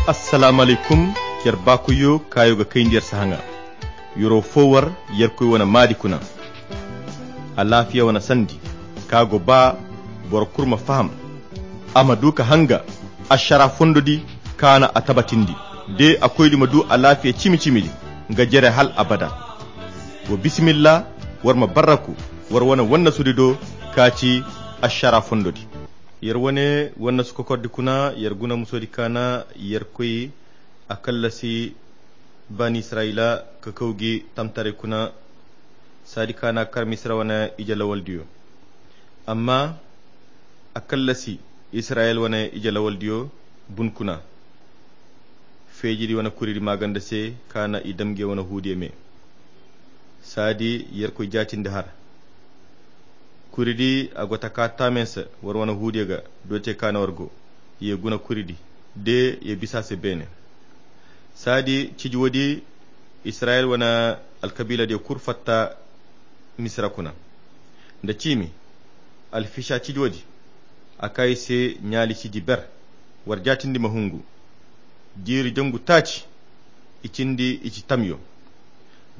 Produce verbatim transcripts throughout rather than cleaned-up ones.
Assalaamu alaykum. Yer baakoyyo kaayo ga kayndi yer sahaŋa. Yer'o foo war yerkoy wane maadi kuna. Alaafiya wane sandi ka go ba boro kul ma faham, a ma du ka hanga ašara fondo di kaana a tabatindi. De a koydi ma du alaafiya cimi-cimi di nga jere hal abada. Wa bisimilla, war ma barraku war wane wannasudi do ka ci ašara fondo di. Yer wane wannasu kokordi kuna yer guna musodi kaana yerkoy a kallasi baani isirayila ka kaw gi tamtaray kuna. Saadi kaana kar misira wane ije lawaldiyo. Amma a kallasi isirayila wane ije lawaldiyo bun kuna. Feejidi wane kuridi maaganda se kaana i dam nge wane huudiyo me. Saadi yerkoy jaatindi har. Kuridi a go taka taamen se war wane huudiyo ga. Doote kaana war go ye guna kuridi de ye bisa se beene. Saadi ciji woodi isirayila wane alkabiiladiyo kul fatta misira kuna. Nda ciimi alfisa ciji woodi a kaa i se ɲaali ciji ber. War jaatindi ma hungu jiiri jangu taaci. I cindi i ci tamyo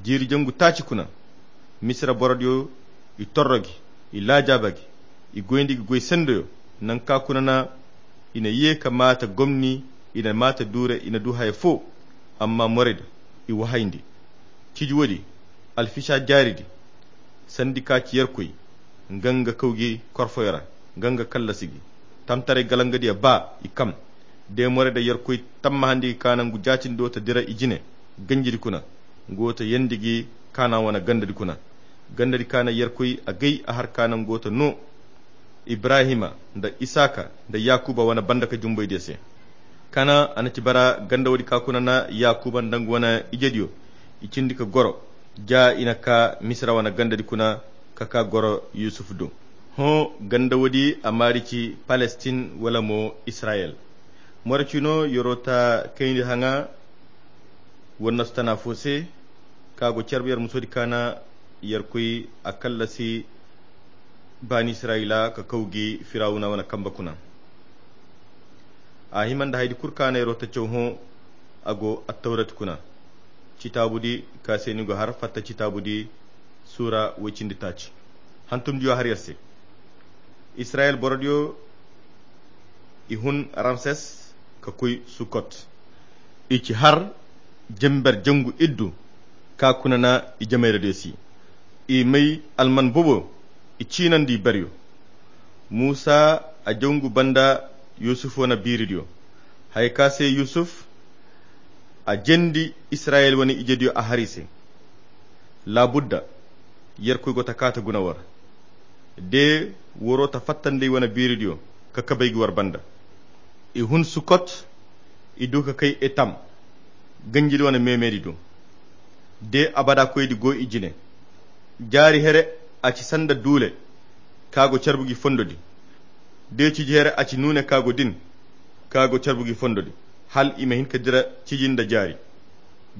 jiiri jangu taaci kuna. Misira borodiyo i torro gi, i laajaaba gi, i goyndi gi goy sendoyo. Nangu ka kuna na i na ye ka maata gomni, i na maata duure, i na du haya foo. Amma morayda i wahayndi ciji woodi alfisa jaaridi. Sandi ka ci yerkoy nga nga kaw gi korfoyo ra nga nga kallasi gi. Tamtaray galangadiyo baa i kam de morayda yerkoy tammahandi gi ka nangu jaatindi do ta dira i jine. Ganjidi kuna nga wo ta yeendi gi kaana wane gandadi kuna. Gandadi kaana yerkoy agay a har kaana nga wo ta noo ibrahima nda isaaka nda yaakuba wane banda ka jumbaydiyo se. Kaana a na ci bara ganda woodi ka kuna na yaakuba nda nga wane ijediyo i cindi ka goro. Ja i na kaa misira wane gandadi kuna ka kaa goro yusufu do. Hõ ganda woodi a maari ci palestin wala mo isirayel. Moro cino yer'o ta kayndi haŋa wannasu tana foo se ka go carbu yer musodi kaana yerkoy a kallasi baani isirayila ka kaw gi firawuna wane kamba kuna. A hima nda haydi kul kaana yer'o ta caw hõ a go attawrati kuna. Citaabudi ka se ni go har fatta citaabudi suura woy cindi taaci. Hantumdiyo har yer se isirayel borodiyo i hun ramses ka koy sukot. I ci har jember jangu iddu ka kuna na i jamayra diyo si. I may alman bobo i ciinandi i beryo. Muusa a jangu banda yusuf wane biiridiyo haya ka se yusuf a jendi isirayel wane ijediyo a har i se. Laabudda yerkoy go ta kaa ta guna war de waro ta fattandi i wane biiridiyo ka kabay gi war banda. I hun sukot i du ka kay etam ganjidi wane meemeedi do. De abada koydi go i jine. Jaari here a ci sanda duule ka go carbu gi fondo di. De ciji here a ci nuune ka go din ka go carbu gi fondo di hal i ma hin ka dira ciji nda jaari.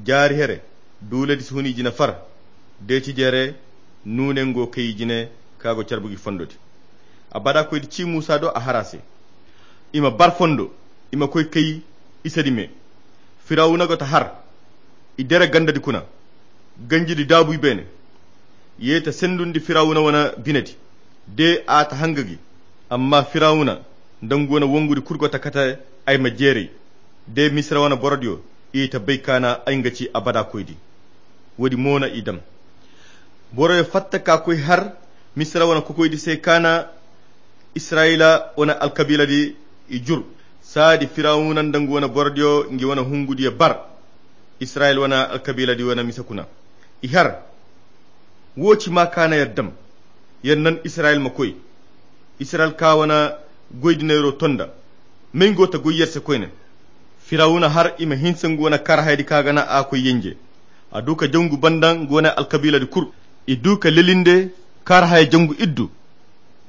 Jaari here duuledi si hun i jine far. De ciji here nuune nga wo kay i jine ka go carbu gi fondo di. Abada koydi ci muusa do a har a se i ma bar fondo i ma koy kay isedi me. Firawuna go ta har i dere gandadi kuna ganjidi daabu i beene. Ye ta sendundi firawuna wane binedi de a ta hanga gi. Amma firawuna nda nga wane wongudi kul go ta kate ay ma jeeray. De misira wane borodiyo i ta bay kaana ay nga ci abada koydi. Woodi mo na i dam. Boroyo fatta ka koy har misira wane kokoydi se kaana isirayila wane alkabiiladi i jur. Saadi firawuna nda nga wane borodiyo ngi wane hungudiyo bar isirayila wane alkabiiladi wane mise kuna. I har wo ci ma kaana yer dam. Yer nan isirayila ma koy isirayila ka wane goydi neero to nda may nga wo ta goy yer se koyne. Firawuna har i ma hinsa nga wane kaarahaydi ka ga na a koy yenje. A du ka jangu banda nga wane alkabiiladi kul. I du ka lelinde kaarahaya jangu iddu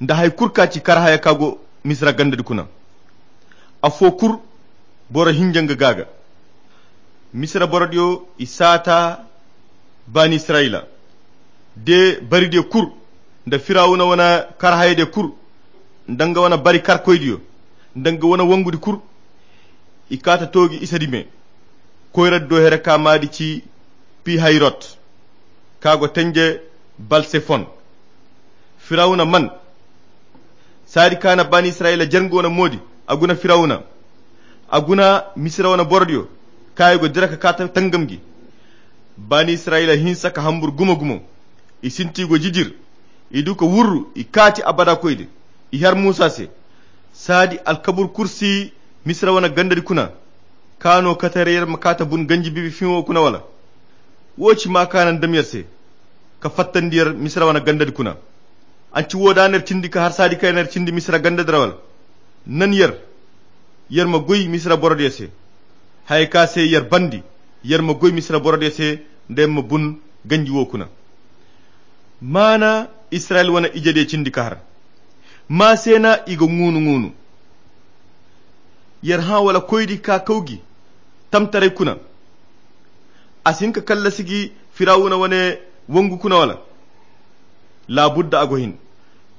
nda haya kul ka ci kaarahaya ka go misira gandadi kuna. Afo kul boro hinja nga ga ga. Misira borodiyo i saata baani isirayila de baridiyo kul nda firawuna wane kaarahayadiyo kul nda nga wane bari karkoydiyo nda nga wane wongudi kul. I kaata toogi isedi me. Koyradi do here ka maadi ci pihayrot, ka go tenje balsefon. Firawuna man saadi ka na baani israyila jerŋ go na moodi. A guna firawuna, a guna misira wane borodiyo, ka i go dira ka kaata tangam gi. Baani israyila hinsa ka hambur gumo gumo. I sinti go jijir. I du ka wurru i kaati abada koyde. I har muusa se. Saadi alkabur kursi misira wane gandadi kuna. Ka no kate ra yer ma kaata bun ganji bibi fiŋo kuna wala? Wo ci ma ka naŋ dam yer se, ka fattandi yer misira wane gandadi kuna. An ci wo da ner cindi ka har saadi ka yer cindi misira gandadi ra wala? Naŋ yer, yer ma goy misira borodiyo se. Haya ka se yer bandi, yer ma goy misira borodiyo se, nda yer ma bun ganji wo kuna. Maana israyil wane ijediyo cindi ka har. Ma se na i ga ŋuunu ŋuunu. Yer hã wala koydi ka kaw gi tamtaray kuna? A si hin ka kallasi gi firawuna wane wangu kuna wala? Laabudda a go hin.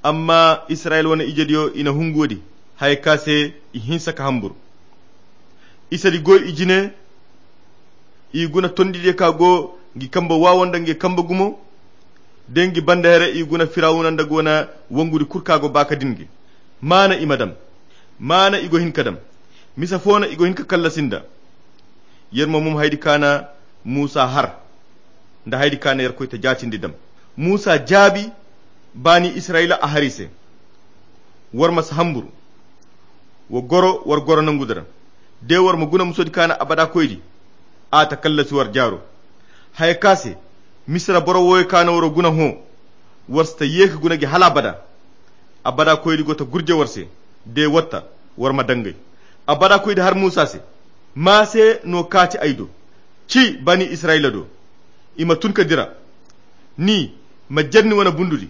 Amma israyil wane ijediyo i na hungu woodi, haya ka se i hinsa ka hambur. Isedi goy i jine. I guna tondidiyo ka go ngi kambe waawo nda ngi kambe gumo. Da ngi banda here i guna firawuna nda go na wangudi kul ka go baaka din gi. Maana i ma dam. Maana i go hin ka dam. Misa fo no i go hin ka kallasi nda. Yer mo mum haydi ka na muusa har, nda haydi ka na yerkoy ta jaatindi dam. Muusa jaabi baani israyila a har i se. War ma si hambur. Wa goro war goro nangu dira. De war ma guna musodi ka na abada koydi, a ta kallasi war jaaro. Haya ka se misira boro wooyo ka na waro guna hõ. War si ta ye ka guna gi hala abada. Abada koydi go ta gurje war se. De watta war ma dangay. Abada koydi har muusa se, ma se no kaati ay do, ci baani israyila do. I ma tun ka dira. Ni ma jer ni wane bundudi,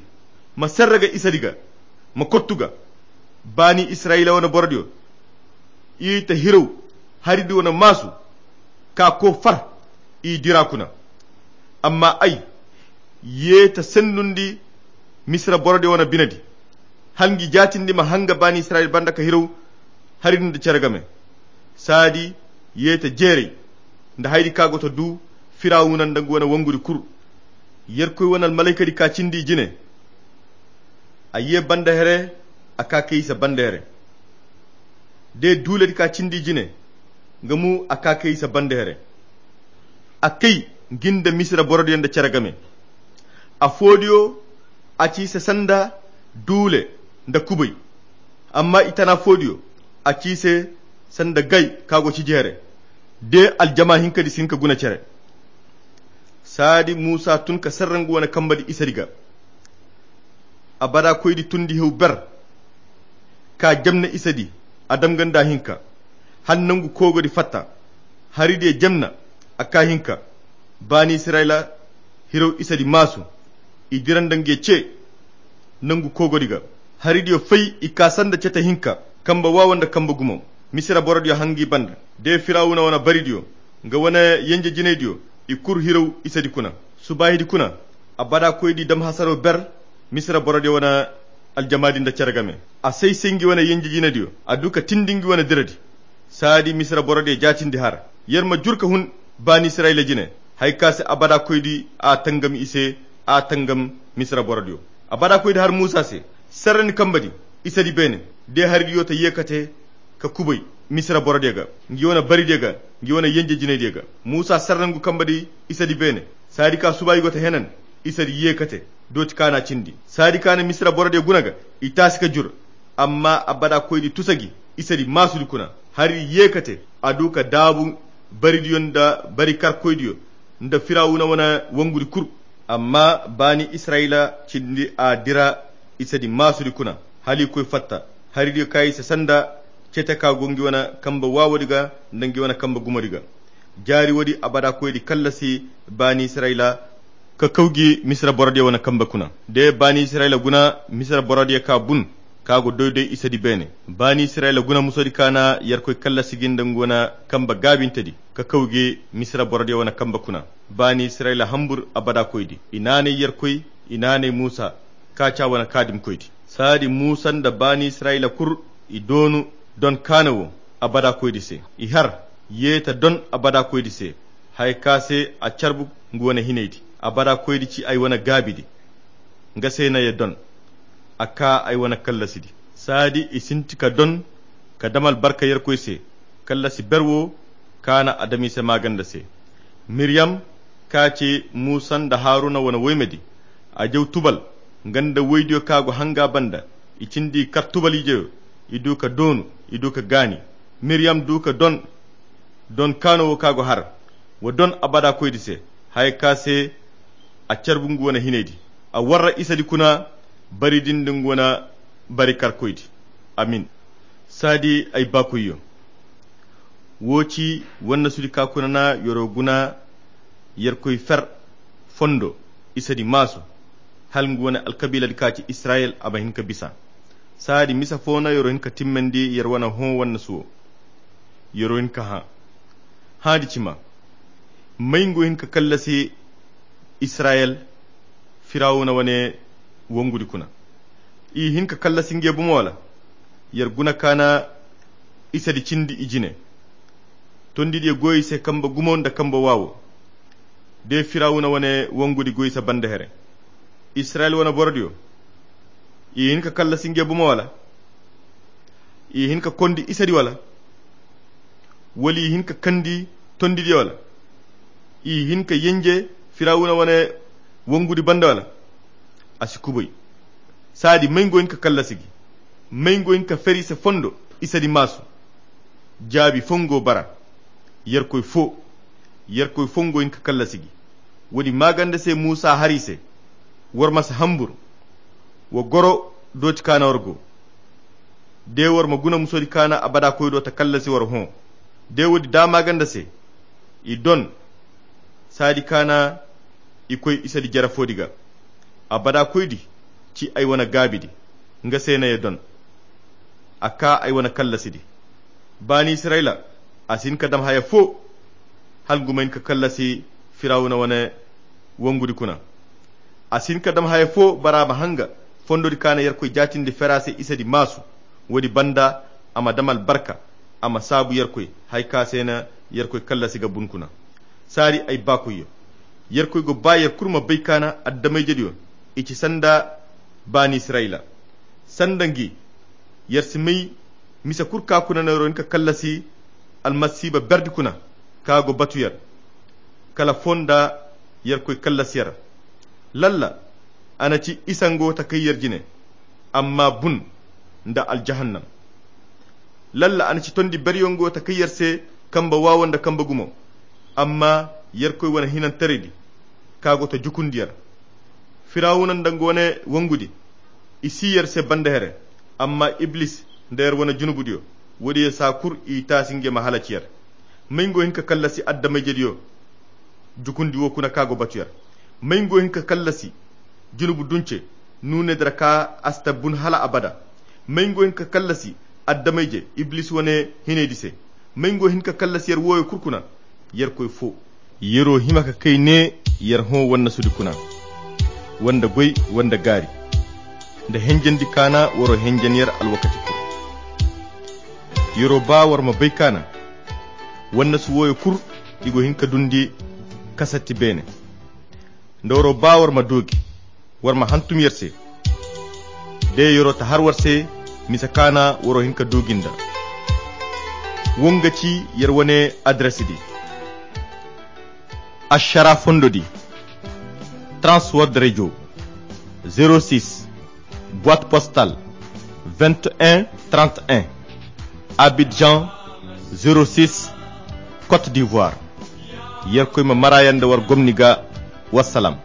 ma serre ga isedi ga, ma kottu ga. Baani israyila wane borodiyo, i ta hiraw haridi wane maasu, ka ko far i dira kuna. Amma ay ye ta sendundi misira borodiyo wane binedi, hala ngi jaatindi ma hanga baani israyila banda ka hiraw haridi nda cere game. Saadi ye ta jeeray nda haydi ka go ta du firawuna nda ngu wane wangudi kul. Yerkoy wane almalaykadi ka cindi i jine. A ye banda here, a ka kay i se banda here. De duuladi ka cindi i jine, nga mu a ka kay i se banda here. A kay ngi nda misira borodiyo nda cere game. Afoodiyo a ci i se sanda duule nda kubay. Amma i tana foodiyo a ci i se sanda gay ka go ciji here. De aljama hinkadi si hin ka guna cere. Saadi muusa tun ka serre ngu wane kambadi isedi ga. Abada koydi tundi hew ber, ka jamna isedi, a dam ga nda hinka. Hala nangu koogodi fatta, haridiyo jamna a ka hinka. Baani israyila hiraw isedi maasu, i dira nda nge ce nangu koogodi ga. Haridiyo fay i ka sanda cete hinka, kambe waawo nda kambe gumo. Misira borodiyo hangi banda de firawuna wane baridiyo, nga wane yenje jinaydiyo, i kul hiraw isedi kuna. Subaahidi kuna, abada koydi dam hasaro ber misira borodiyo wane aljamadi nda cere game. A say-say ngi wane yenje jinaydiyo, a du ka tindi ngi wane diradi. Saadi misira borodiyo jaatindi har. Yer ma jur ka hun baani israyila jine, haya ka se abada koydi a tangam i se, a tangam misira borodiyo. Abada koydi har muusa se, serre ni kambadi isedi beene. De haridiyo ta ye kate ka kubay misira borodiyo ga, ngi wane baridiyo ga, ngi wane yenje jinaydiyo ga. Muusa serre ngu kambadi isedi beene. Saadi ka subaayi go ta henan, isedi ye kate dooti ka na cindi. Saadi ka na misira borodiyo guna ga, i taasi ka jur. Amma abada koydi tusa gi isedi maasudi kuna. Hari ye kate, a du ka daabu baridiyo nda bari karkoydiyo nda firawuna wane wangudi kul. Amma baani israyila cindi a dira isedi maasudi kuna, hala i koy fatta. Haridiyo ka i se sanda cete ka go ngi wane kambe waawodi ga nda ngi wane kambe gumodi ga. Jaari woodi abada koydi kallasi baani israyila ka kaw gi misira borodiyo wane kambe kuna. De baani israyila guna misira borodiyo ka bun, ka go doy-doy isedi beene. Baani israyila guna musodi ka na yerkoy kallasi gi nda ngu wane kambe gaabintedi ka kaw gi misira borodiyo wane kambe kuna. Baani israyila hambur abada koydi, i naanay yerkoy, i naanay muusa, ka ca wane kaadimkoydi. Saadi muusa nda baani israyila kul i doonu don kaana wo. abada koydi se. I har, ye ta don abada koydi se, haya ka se a carbu nga wane hinaydi. Abada koydi ci ay wane gaabidi. Nga se na ye don, a ka ay wane kallasidi. Saadi i sinti ka don ka dam albarka yerkoy se. Kallasi ber wo ka na adamiise maaganda se. Miriyam ka ci muusa nda haruna wane woymedi. A jaw tubal nga nda woydiyo ka go hanga banda. I cindi i kar tubal ijeyo. I du ka doonu, i du ka gaani. Miriyam du ka don don kaano wo ka go har. Wa don abada koydi se, haya ka se a carbu nga wane hinaydi. A warra isadi kuna. Bari din da nga wane bari kar koydi. Amin. Saadi ay baakoyyo, wo ci wannasudi ka kuna na yoro guna yerkoy fer fondo isadi maasu. Hala nga wane alkabiiladi ka ci israyel a ma hin ka bisa. Saadi misa fo na yoro hin ka timmandi yer wane hõ wannasu wo. Yoro hin ka hã. Hãadi cima, may nga wo hin ka kallasi israyel firawuna wane wongudi kuna? I hin ka kallasi ngey bomo wala? Yer guna ka na isadi cindi i jine. Tondidiyo goy i se kambe gumo nda kambe waawo. De firawuna wane wongudi goy i se banda here. Israyel wane borodiyo, i hin ka kallasi ngey bomo wala? I hin ka kondi isadi wala? Wala i hin ka kandi tondidiyo wala? I hin ka yenje firawuna wane wongudi banda wala? A si kubay. Saadi may nga wo hin ka kallasi gi? May nga wo hin ka feri i se fondo isadi maasu? Jaabi fo nga wo bara. Yerkoy fo. Yerkoy fo nga wo hin ka kallasi gi. Woodi maaganda se muusa har i se. War ma si hambur. Wa goro dooti ka na war go. De war ma guna musodi ka na abada koy do ta kallasi war hõ. De woodi da maaganda se i don. Saadi ka na i koy isadi jere foodi ga. Abada koydi ci ay wane gaabidi. Nga se na ye don. A ka ay wane kallasidi. Baani israyla, a si hin ka dam haya fo. Hala nga ma hin ka kallasi firawuna wane wongudi kuna. A si hin ka dam haya fo bara a ma hanga fondodi ka na yerkoy jaatindi fera se isadi maasu. Woodi banda a ma dam albarka. A ma saabu yerkoy haya ka se na yerkoy kallasi ga bun kuna. Saari ay baakoyyo, yerkoy go ba yer kulu ma bay ka na adamayjediyo i ci sanda baani israyla. Sanda ngi, yer si may mise kulu ka kuna no yer wo hin ka kallasi almasiiba berdi kuna ka go batu yer. Kala foo nda yerkoy kallasi yer. Lalla, a na ci isa nga wo ta kay yer jine, amma bun nda aljahannam. Lalla a na ci tondi beryo nga wo ta kay yer se, kambe waawo nda kambe gumo. Amma yerkoy wane hinantaraydi ka go ta jukundi yer. Firawuna nda nga wane wongudi, i si yer se banda here. Amma iblis nda yer wane junubudiyo, woodiyo saa kulu i taasi ngey ma halaci yer. May nga wo hin ka kallasi adamayjediyo? Jukundi wo kuna ka go batu yer. May nga wo hin ka kallasi junubu dunce nuunedira ka a si ta bun hala abada? May nga wo hin ka kallasi adamayje iblis wane hinaydi se? May nga wo hin ka kallasi yer wooyo kulu kuna? Yerkoy foo. Yer wo hima ka kay ne yer hõ wannasudi kuna, wanda goy, wanda gaari, nda henjandi ka na war wo henjan yer alwakati kulu. Yer wo ba war ma bay ka na wannasu wooyo kulu, i go hin ka dundi kasatti beene. Nda war wo ba war ma doogi, war ma hantum yer se. De yer wo ta har war se mise ka na war wo hin ka doogi nda. Wo nga ci yer wane adresidi. Ašara fondodi, transword radio, zero six, boîte postale, vingt et un trente et un, Abidjan, zero six, Côte d'Ivoire. Yerkoy ma mara yer nda war gomni ga. Wassalam.